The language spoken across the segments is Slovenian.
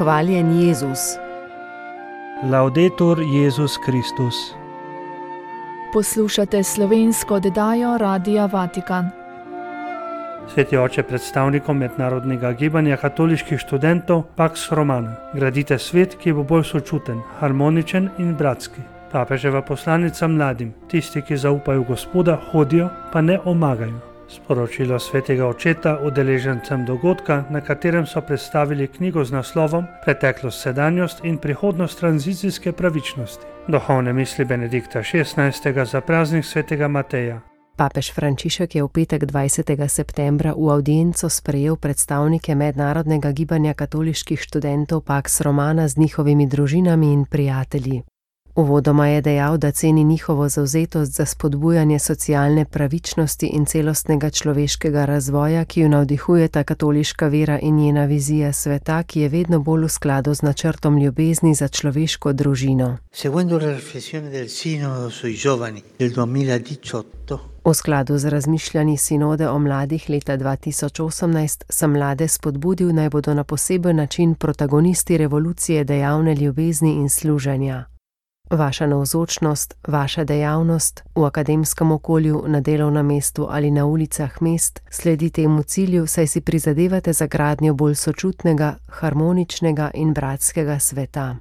Hvaljen Jezus. Laudetur Jezus Kristus. Poslušate slovensko oddajo Radia Vatikan. Sveti oče, predstavnikom mednarodnega gibanja katoliških študentov Pax Romana, gradite svet, ki bo bolj sočuten, harmoničen in bratski. Papeževa poslanica mladim, tisti, ki zaupajo Gospoda, hodijo, pa ne omagajo. Sporočilo svetega očeta udeležencem dogodka, na katerem so predstavili knjigo z naslovom Preteklost, sedanjost in prihodnost tranzicijske pravičnosti. Duhovne misli Benedikta XVI. Za praznik svetega Mateja. Papež Frančišek je v petek 20. septembra v avdienco sprejel predstavnike mednarodnega gibanja katoliških študentov Pax Romana z njihovimi družinami in prijatelji. Uvodoma je dejal, da ceni njihovo zavzetost za spodbujanje socialne pravičnosti in celostnega človeškega razvoja, ki jo navdihujeta katoliška vera in njena vizija sveta, ki je vedno bolj v skladu z načrtom ljubezni za človeško družino. Seguendo le riflessioni del Sinodo sui giovani del 2018, V skladu z razmišljanji sinode o mladih leta 2018 sem mlade spodbudil, naj bodo na poseben način protagonisti revolucije dejavne ljubezni in služenja. Vaša navzočnost, vaša dejavnost v akademskem okolju, na delovnem mestu ali na ulicah mest sledi temu cilju, saj si prizadevate za gradnjo bolj sočutnega, harmoničnega in bratskega sveta.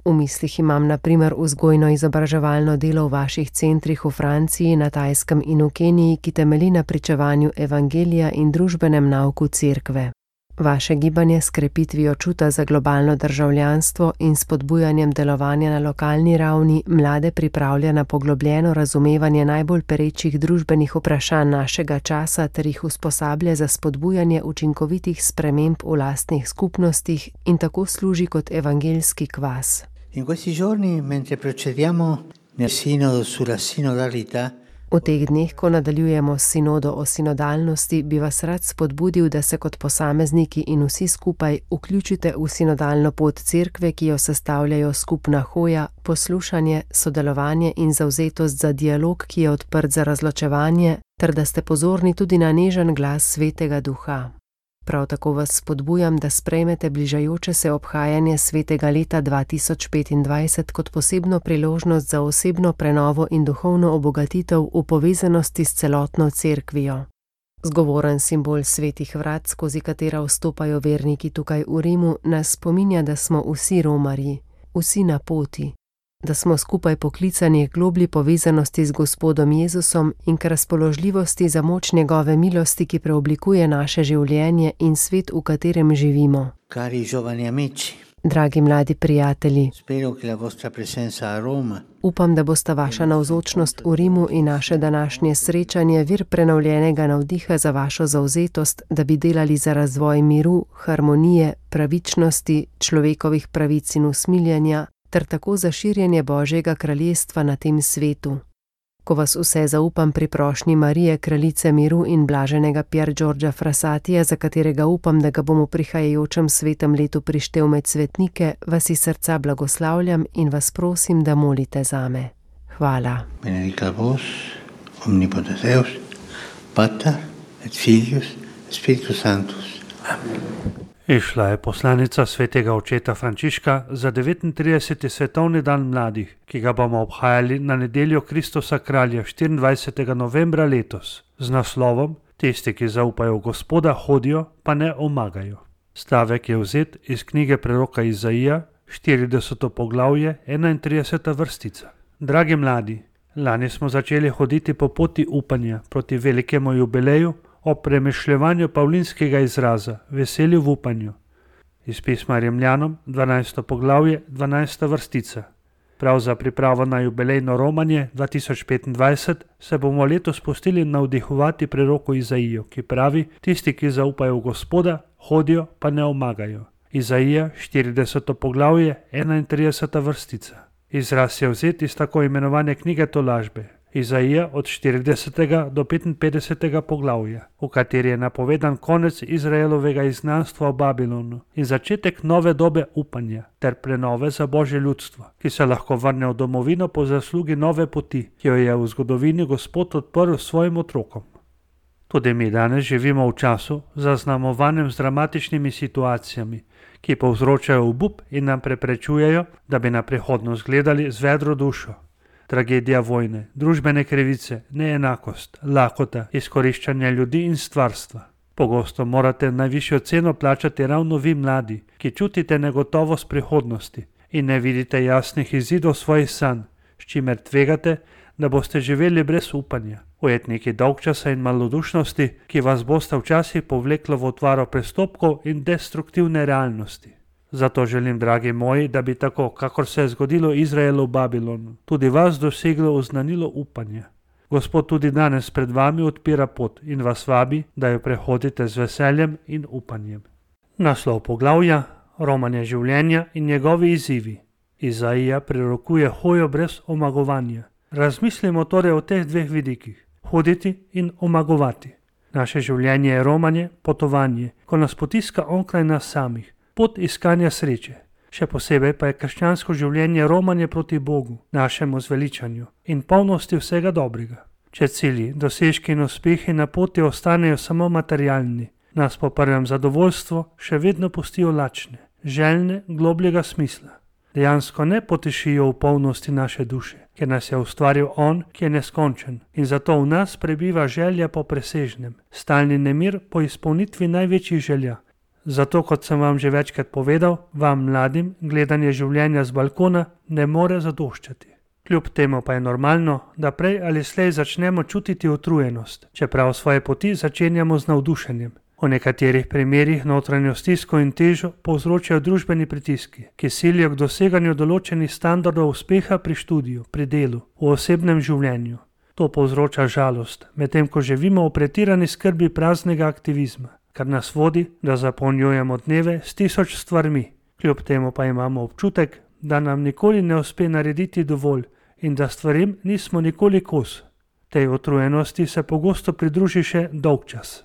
V mislih imam na primer vzgojno-izobraževalno delo v vaših centrih v Franciji, na Tajskem in v Keniji, ki temelji na pričevanju evangelija in družbenem nauku cerkve. Vaše gibanje s krepitvijo čuta za globalno državljanstvo in spodbujanjem delovanja na lokalni ravni mlade pripravlja na poglobljeno razumevanje najbolj perečih družbenih vprašanj našega časa ter jih usposablja za spodbujanje učinkovitih sprememb v lastnih skupnostih in tako služi kot evangeljski kvas. in questi giorni, mentre procediamo nel Sinodo sulla sinodalità, V teh dneh, ko nadaljujemo s sinodo o sinodalnosti, bi vas rad spodbudil, da se kot posamezniki in vsi skupaj vključite v sinodalno pot cerkve, ki jo sestavljajo skupna hoja, poslušanje, sodelovanje in zavzetost za dialog, ki je odprt za razločevanje, ter da ste pozorni tudi na nežen glas Svetega Duha. Prav tako vas spodbujam, da sprejmete bližajoče se obhajanje svetega leta 2025 kot posebno priložnost za osebno prenovo in duhovno obogatitev v povezanosti s celotno cerkvijo. Zgovoren simbol svetih vrat, skozi katera vstopajo verniki tukaj v Rimu, nas spominja, da smo vsi romarji, vsi na poti, da smo skupaj poklicani k globlji povezanosti z Gospodom Jezusom in k razpoložljivosti za moč njegove milosti, ki preoblikuje naše življenje in svet, v katerem živimo. cari giovani amici, Dragi mladi prijatelji, spero che la vostra presenza a Roma upam, da bosta vaša navzočnost v Rimu in naše današnje srečanje vir prenovljenega navdiha za vašo zavzetost, da bi delali za razvoj miru, harmonije, pravičnosti, človekovih pravic in usmiljenja, ter tako za širjenje Božjega kraljestva na tem svetu. Ko vas vse zaupam pri prošnji Marije, kraljice miru in blaženega Pier Giorgia Frassatija, za katerega upam, da ga bom v prihajajočem svetem letu prištel med svetnike, vas iz srca blagoslavljam in vas prosim, da molite zame. Hvala. benedicat vos, omnipotens Deus, Pater et Filius et Spiritus Sanctus. Amen. Išla je poslanica svetega očeta Frančiška za 39. svetovni dan mladih, ki ga bomo obhajali na nedeljo Kristusa kralja 24. novembra letos, z naslovom Tisti, ki zaupajo v Gospoda, hodijo, pa ne omagajo. Stavek je vzet iz knjige preroka Izaija, 40. poglavje, 31. vrstica. Dragi mladi, lani smo začeli hoditi po poti upanja proti velikemu jubileju, o premišljevanju pavlinskega izraza, veselju v upanju. Iz pisma Rimljanom, 12. poglavje, 12. vrstica. Prav za pripravo na jubilejno romanje 2025 se bomo letos pustili navdihovati preroko Izaijo, ki pravi, tisti, ki zaupajo v Gospoda, hodijo, pa ne omagajo. Izaija, 40. poglavje, 31. vrstica. Izraz je vzet iz tako imenovane knjige tolažbe, Izaija od 40. do 55. poglavja, v kateri je napovedan konec Izraelovega izgnanstva v Babilonu in začetek nove dobe upanja ter prenove za Božje ljudstvo, ki se lahko vrne v domovino po zaslugi nove poti, ki jo je v zgodovini Gospod odprl svojim otrokom. Tudi mi danes živimo v času, zaznamovanem z dramatičnimi situacijami, ki povzročajo obup in nam preprečujejo, da bi na prihodnost gledali z vedro dušo. Tragedija vojne, družbene krivice, neenakost, lakota, izkoriščanje ljudi in stvarstva. Pogosto morate najvišjo ceno plačati ravno vi mladi, ki čutite negotovost prihodnosti in ne vidite jasnih izidov svojih sanj, s čimer tvegate, da boste živeli brez upanja. Ujetniki dolgčasa in malodušnosti, ki vas boste včasih povleklo v utvaro prestopkov in destruktivne realnosti. Zato želim, dragi moji, da bi tako, kakor se je zgodilo Izraelu v Babilonu, tudi vas doseglo oznanilo upanja. Gospod tudi danes pred vami odpira pot in vas vabi, da jo prehodite z veseljem in upanjem. Naslov poglavja: romanje življenja in njegovi izzivi. Izaija prerokuje hojo brez omagovanja. Razmislimo torej o teh dveh vidikih: hoditi in omagovati. Naše življenje je romanje, potovanje, ko nas potiska onkraj nas samih, pot iskanja sreče. Še posebej pa je krščansko življenje romanje proti Bogu, našemu zveličanju in polnosti vsega dobrega. Če cilji, dosežki in uspehi na poti ostanejo samo materialni, nas po prvem zadovoljstvu še vedno pustijo lačne, željne globljega smisla. Dejansko ne potešijo v polnosti naše duše, ker nas je ustvaril On, ki je neskončen, in zato v nas prebiva želja po presežnem, stalni nemir po izpolnitvi največjih želja. Zato, kot sem vam že večkrat povedal, vam mladim gledanje življenja z balkona ne more zadoščati. Kljub temu pa je normalno, da prej ali slej začnemo čutiti utrujenost, čeprav svoje poti začenjamo z navdušenjem. V nekaterih primerih notranjo stisko in težo povzročajo družbeni pritiski, ki silijo k doseganju določenih standardov uspeha pri študiju, pri delu, v osebnem življenju. To povzroča žalost, medtem ko živimo v pretirani skrbi praznega aktivizma, kar nas vodi, da zapolnjujemo dneve s 1000 stvarmi. Kljub temu pa imamo občutek, da nam nikoli ne uspe narediti dovolj in da stvarim nismo nikoli kos. Tej utrujenosti se pogosto pridruži še dolgčas.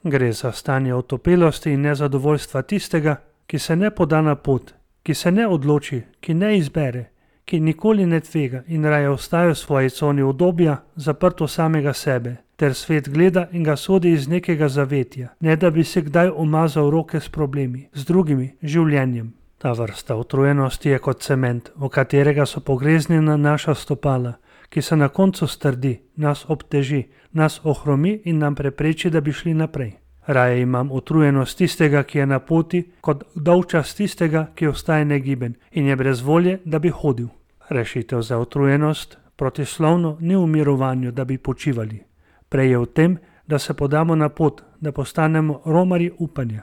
Gre za stanje otopelosti in nezadovoljstva tistega, ki se ne poda na pot, ki se ne odloči, ki ne izbere, ki nikoli ne tvega in raje ostaja v svoji coni udobja, zaprto samega sebe, ter svet gleda in ga sodi iz nekega zavetja, ne da bi se kdaj umazal roke s problemi, z drugimi, življenjem. Ta vrsta utrujenosti je kot cement, v katerega so pogreznjena naša stopala, ki se na koncu strdi, nas obteži, nas ohromi in nam prepreči, da bi šli naprej. Raje imam utrujenost tistega, ki je na poti, kot dolgčas tistega, ki ostaje negiben in je brez volje, da bi hodil. Rešitev za utrujenost protislovno ni v mirovanju, da bi počivali. Prej je v tem, da se podamo na pot, da postanemo romarji upanja.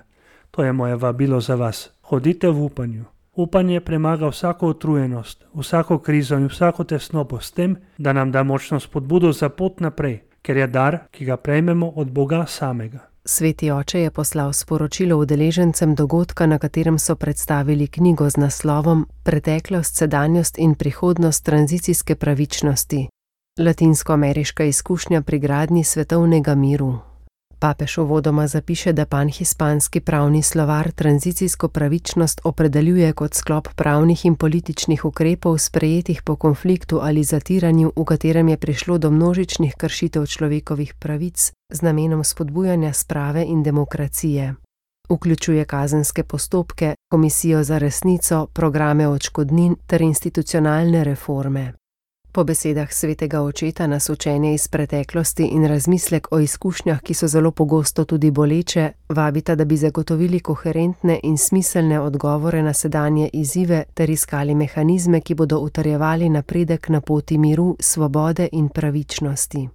To je moje vabilo za vas. Hodite v upanju. Upanje premaga vsako utrujenost, vsako krizo in vsako tesnobo s tem, da nam da močno spodbudo za pot naprej, ker je dar, ki ga prejmemo od Boga samega. Sveti oče je poslal sporočilo udeležencem dogodka, na katerem so predstavili knjigo z naslovom Preteklost, sedanjost in prihodnost tranzicijske pravičnosti. Latinskoameriška izkušnja pri gradnji svetovnega miru. Papež uvodoma zapiše, da panhispanski pravni slovar tranzicijsko pravičnost opredeljuje kot sklop pravnih in političnih ukrepov sprejetih po konfliktu ali zatiranju, v katerem je prišlo do množičnih kršitev človekovih pravic z namenom spodbujanja sprave in demokracije. Vključuje kazenske postopke, komisijo za resnico, programe odškodnin ter institucionalne reforme. Po besedah svetega očeta nas učenje iz preteklosti in razmislek o izkušnjah, ki so zelo pogosto tudi boleče, vabita, da bi zagotovili koherentne in smiselne odgovore na sedanje izzive ter iskali mehanizme, ki bodo utrjevali napredek na poti miru, svobode in pravičnosti.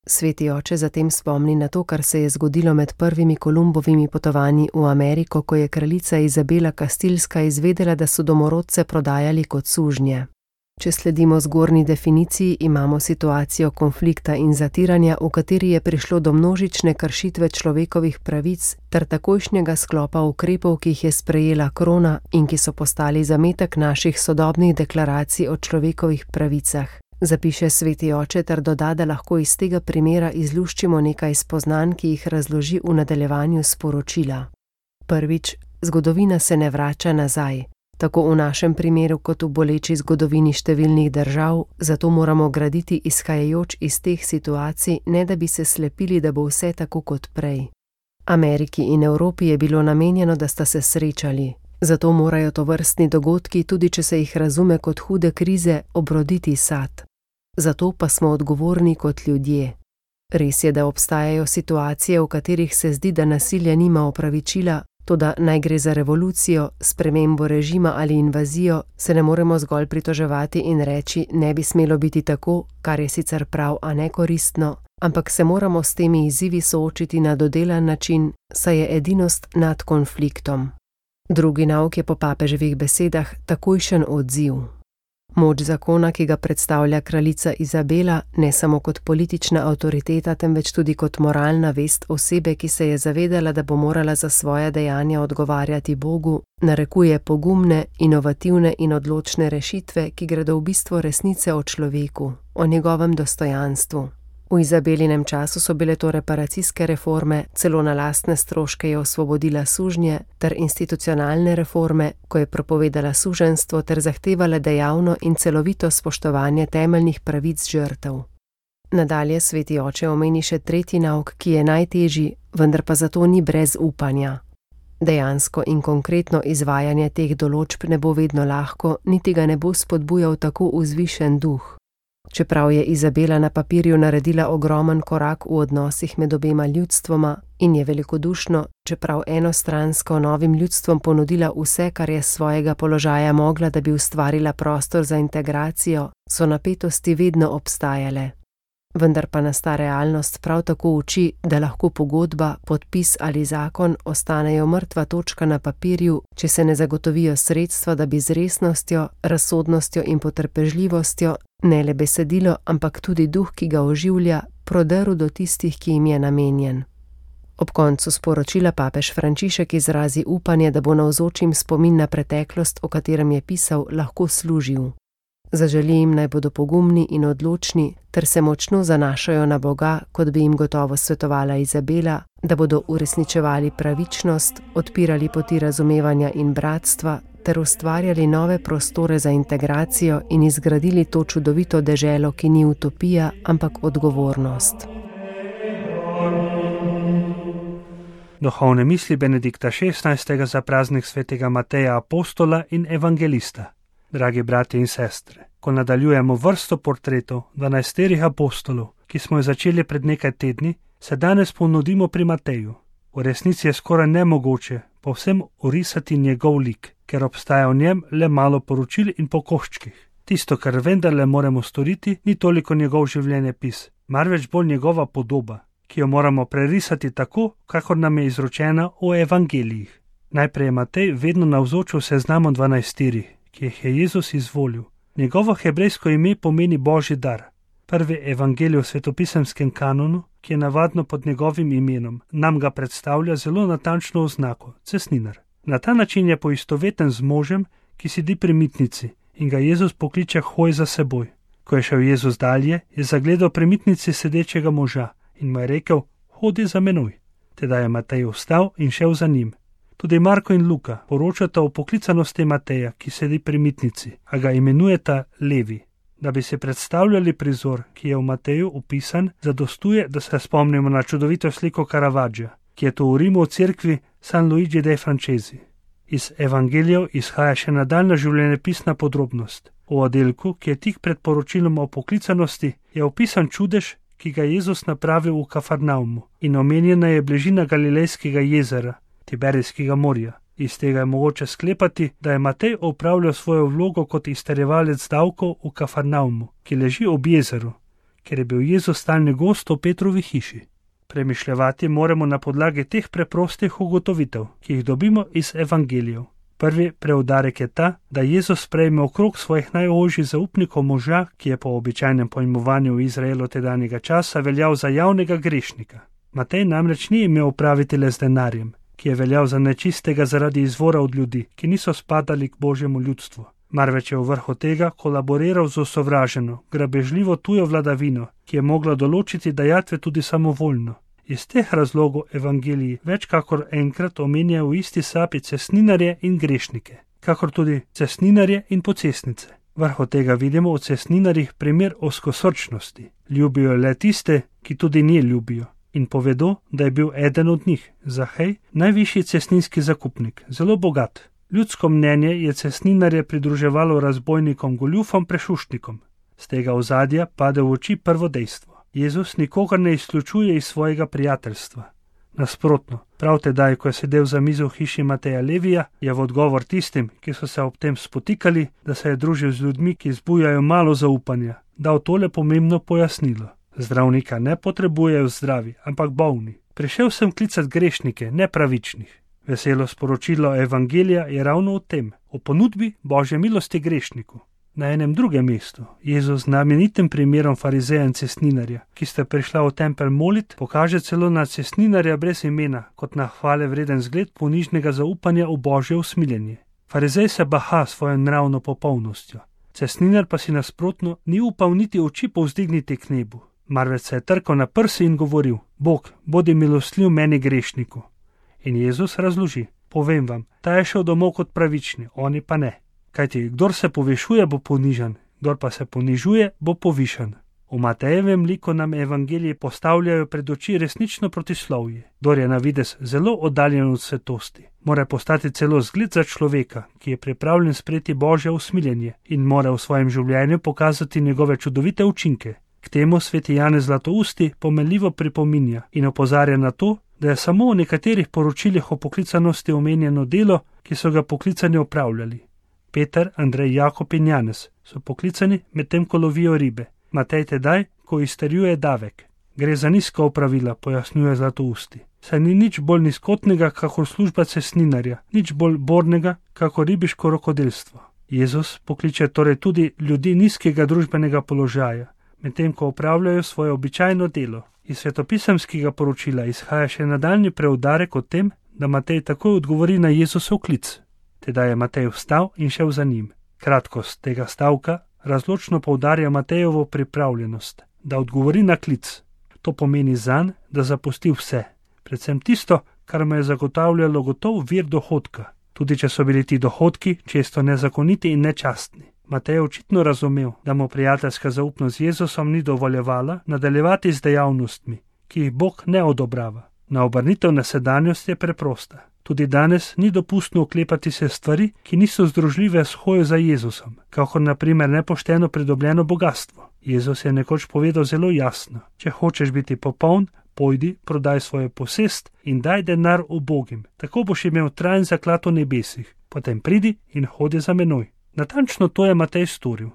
Sveti oče zatem spomni na to, kar se je zgodilo med prvimi Kolumbovimi potovanji v Ameriko, ko je kraljica Izabela Kastilska izvedela, da so domorodce prodajali kot sužnje. Če sledimo zgornji definiciji, imamo situacijo konflikta in zatiranja, v kateri je prišlo do množične kršitve človekovih pravic ter takojšnjega sklopa ukrepov, ki jih je sprejela krona in ki so postali zametek naših sodobnih deklaracij o človekovih pravicah. Zapiše sveti oče ter doda, da lahko iz tega primera izluščimo nekaj spoznanj, ki jih razloži v nadaljevanju sporočila. Prvič, zgodovina se ne vrača nazaj. tako v našem primeru kot v boleči zgodovini številnih držav, zato moramo graditi izhajajoč iz teh situacij, ne da bi se slepili, da bo vse tako kot prej. Ameriki in Evropi je bilo namenjeno, da sta se srečali, zato morajo tovrstni dogodki, tudi če se jih razume kot hude krize, obroditi sad. Zato pa smo odgovorni kot ljudje. Res je, da obstajajo situacije, v katerih se zdi, da nasilje nima opravičila, toda naj gre za revolucijo, spremembo režima ali invazijo, se ne moremo zgolj pritoževati in reči, ne bi smelo biti tako, kar je sicer prav, a ne koristno, ampak se moramo s temi izzivi soočiti na dodelan način, saj je edinost nad konfliktom. Drugi nauk je po papeževih besedah takojšen odziv. Moč zakona, ki ga predstavlja kraljica Izabela, ne samo kot politična avtoriteta, temveč tudi kot moralna vest osebe, ki se je zavedala, da bo morala za svoja dejanja odgovarjati Bogu, narekuje pogumne, inovativne in odločne rešitve, ki gredo v bistvo resnice o človeku, o njegovem dostojanstvu. V Izabelinem času so bile to reparacijske reforme, celo na lastne stroške je osvobodila sužnje, ter institucionalne reforme, ko je propovedala suženjstvo ter zahtevala dejavno in celovito spoštovanje temeljnih pravic žrtev. Nadalje sveti oče omeni še tretji nauk, ki je najtežji, vendar pa zato ni brez upanja. Dejansko in konkretno izvajanje teh določb ne bo vedno lahko, niti ga ne bo spodbujal tako vzvišen duh. Čeprav je Izabela na papirju naredila ogromen korak v odnosih med obema ljudstvoma in je velikodušno, čeprav enostransko novim ljudstvom ponudila vse, kar je s svojega položaja mogla, da bi ustvarila prostor za integracijo, so napetosti vedno obstajale. Vendar pa nas ta realnost prav tako uči, da lahko pogodba, podpis ali zakon ostanejo mrtva točka na papirju, če se ne zagotovijo sredstva, da bi z resnostjo, razsodnostjo in potrpežljivostjo ne le besedilo, ampak tudi duh, ki ga oživlja, prodrl do tistih, ki jim je namenjen. Ob koncu sporočila papež Frančišek izrazi upanje, da bo navzočim spomin na preteklost, o katerem je pisal, lahko služil. Zaželi jim, naj bodo pogumni in odločni, ter se močno zanašajo na Boga, kot bi jim gotovo svetovala Izabela, da bodo uresničevali pravičnost, odpirali poti razumevanja in bratstva, ter ustvarjali nove prostore za integracijo in izgradili to čudovito deželo, ki ni utopija, ampak odgovornost. Duhovne misli Benedikta XVI. Za praznik svetega Mateja Apostola in Evangelista. Dragi bratje in sestre, ko nadaljujemo vrsto portretov 12 apostolov, ki smo jo začeli pred nekaj tedni, se danes ponudimo pri Mateju. V resnici je skoraj nemogoče povsem orisati njegov lik, ker obstaja v njem le malo poročil in po koščkih. Tisto, kar vendarle moramo storiti, ni toliko njegov življenjepis, marveč bolj njegova podoba, ki jo moramo prerisati tako, kakor nam je izročena v evangelijih. Najprej je Matej vedno navzoč v seznamu 12, ki jih je Jezus izvolil. Njegovo hebrejsko ime pomeni Božji dar. Prvi evangelij v svetopisemskem kanonu, ki je navadno pod njegovim imenom, nam ga predstavlja zelo natančno oznako, cestninar. Na ta način je poistoveten z možem, ki sedi pri mitnici in ga Jezus pokliče hoj za seboj. Ko je šel Jezus dalje, je zagledal pri mitnici sedečega moža in mu je rekel, hodi za menoj. Teda je Matej vstal in šel za njim. Tudi Marko in Luka poročata o poklicanosti Mateja, ki sedi pri mitnici, a ga imenujeta Levi. Da bi se predstavljali prizor, ki je v Mateju opisan, zadostuje, da se spomnimo na čudovito sliko Caravaggia, ki je to v Rimu v cerkvi San Luigi dei Francesi. Iz evangelijev izhaja še nadaljna življenjepisna podrobnost. V oddelku, ki je tik pred poročilom o poklicanosti, je opisan čudež, ki ga Jezus napravil v Kafarnaumu, in omenjena je bližina Galilejskega jezera, Tiberijskega morja. Iz tega je mogoče sklepati, da je Matej opravljal svojo vlogo kot izterjevalec davkov v Kafarnaumu, ki leži ob jezeru, ker je bil Jezus stalni gost v Petrovi hiši. Premišljevati moramo na podlagi teh preprostih ugotovitev, ki jih dobimo iz evangelijev. Prvi preudarek je ta, da Jezus sprejme okrog svojih najožjih zaupnikov moža, ki je po običajnem pojmovanju v Izraelu tedanjega časa veljal za javnega grešnika. Matej namreč ni imel opraviti le z denarjem, ki je veljal za nečistega zaradi izvora od ljudi, ki niso spadali k Božjemu ljudstvu. Marveč je v vrhu tega kolaboriral z osovraženo, grabežljivo tujo vladavino, ki je mogla določiti dajatve tudi samovoljno. Iz teh razlogov evangeliji več kakor enkrat omenjajo v isti sapi cestninarje in grešnike. kakor tudi cestninarje in pocestnice. Vrh tega vidimo v cestninarjih primer ozkosrčnosti. Ljubijo le tiste, ki tudi nje ljubijo. In povedo, da je bil eden od njih, Zahej, najvišji cestninski zakupnik, zelo bogat. Ljudsko mnenje je cestninarje pridruževalo razbojnikom, goljufom, prešuštnikom. Z tega ozadja pade v oči prvo dejstvo. Jezus nikogar ne izključuje iz svojega prijateljstva. Nasprotno, prav tedaj, ko je sedel za mizo v hiši Mateja Levija, je v odgovor tistim, ki so se ob tem spotikali, da se je družil z ljudmi, ki zbujajo malo zaupanja, dal tole pomembno pojasnilo. Zdravnika ne potrebujejo zdravi, ampak bolni. Prišel sem klicat grešnike, ne pravičnih. Veselo sporočilo evangelija je ravno o tem, o ponudbi Božje milosti grešniku. Na enem drugem mestu Jezus znamenitim primerom farizeja in cestninarja, ki sta prišla v tempelj molit, pokaže celo na cestninarja brez imena, kot na hvale vreden zgled ponižnega zaupanja v Božje usmiljenje. Farizej se baha svojo nravno popolnostjo. Cestninar pa si nasprotno ni upal niti oči povzdigniti k nebu, marveč se je trkal na prsi in govoril: Bog, bodi milostljiv meni grešniku. In Jezus razloži: povem vam, ta je šel domov kot pravični, oni pa ne. Kajti kdor se povišuje, bo ponižan, kdor pa se ponižuje, bo povišan. V Matejevem liku nam evangeliji postavljajo pred oči resnično protislovje. Kdor je na videz zelo oddaljen od svetosti, mora postati celo zgled za človeka, ki je pripravljen sprejeti Božje usmiljenje in mora v svojem življenju pokazati njegove čudovite učinke. K temu sveti Janez Zlatousti pomenljivo pripominja in opozarja na to, da je samo v nekaterih poročilih o poklicanosti omenjeno delo, ki so ga poklicani opravljali. Peter, Andrej, Jakob in Janez so poklicani, medtem ko lovijo ribe. Matej tedaj, ko izterjuje davek. Gre za nizka opravila, pojasnjuje Zlatousti. Saj ni nič bolj nizkotnega, kakor služba cestninarja, nič bolj bornega, kakor ribiško rokodelstvo. Jezus pokliče torej tudi ljudi nizkega družbenega položaja, medtem ko opravljajo svoje običajno delo. Iz svetopisemskega poročila izhaja še nadaljnji preudarek o tem, da Matej takoj odgovori na Jezusov klic. Tedaj je Matej vstal in šel za njim. Kratkost tega stavka razločno poudarja Matejevo pripravljenost, da odgovori na klic. To pomeni zanj, da zapusti vse, predvsem tisto, kar mu je zagotavljalo gotov vir dohodka, tudi če so bili ti dohodki često nezakoniti in nečastni. Matej je očitno razumel, da mu prijateljska zaupnost z Jezusom ni dovoljevala nadaljevati z dejavnostmi, ki jih Bog ne odobrava. Na obrnitev na sedanjost je preprosta. Tudi danes ni dopustno oklepati se stvari, ki niso združljive s hojo za Jezusom, kakor na primer nepošteno pridobljeno bogastvo. Jezus je nekoč povedal zelo jasno: če hočeš biti popoln, pojdi, prodaj svojo posest in daj denar ubogim, tako boš imel trajen zaklad v nebesih, potem pridi in hodi za menoj. Natančno to je Matej storil.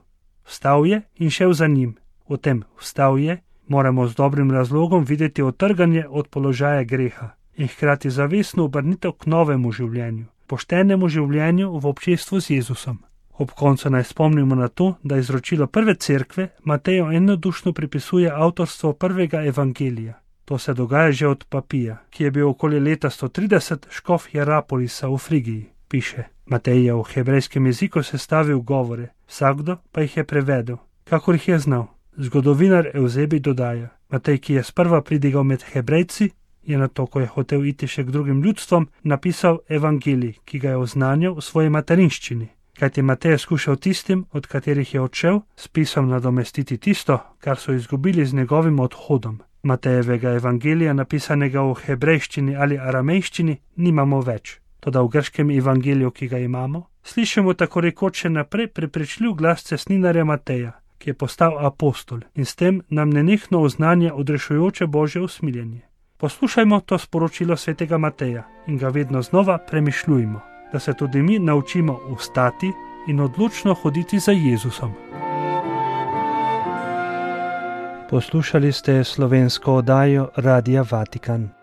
Vstal je in šel za njim. V tem vstal je moramo z dobrim razlogom videti otrganje od položaja greha in hkrati zavestno obrnitev k novemu življenju, poštenemu življenju v občestvu z Jezusom. Ob koncu naj spomnimo na to, da izročilo prve cerkve Mateju enodušno pripisuje avtorstvo prvega evangelija. To se dogaja že od Papija, ki je bil okoli leta 130 škof Hierapolisa v Frigiji. Piše: Matej je v hebrejskem jeziku sestavil govore, vsakdo pa jih je prevedel, kakor jih je znal. Zgodovinar Evzebij dodaja: Matej, ki je sprva pridigal med Hebrejci, je nato, ko je hotel iti še k drugim ljudstvom, napisal evangelij, ki ga je oznanjal v svoji materinščini. Kajti Matej je skušal tistim, od katerih je odšel, s pisom nadomestiti tisto, kar so izgubili z njegovim odhodom. Matejevega evangelija, napisanega v hebrejščini ali aramejščini, nimamo več. Toda v grškem evangeliju, ki ga imamo, slišimo tako rekoč še naprej prepričljiv glas cestninarja Mateja, ki je postal apostol in s tem nam nenehno oznanja odrešujoče Božje usmiljenje. Poslušajmo to sporočilo svetega Mateja in ga vedno znova premišljujmo, da se tudi mi naučimo vstati in odločno hoditi za Jezusom. Poslušali ste slovensko oddajo Radia Vatikan.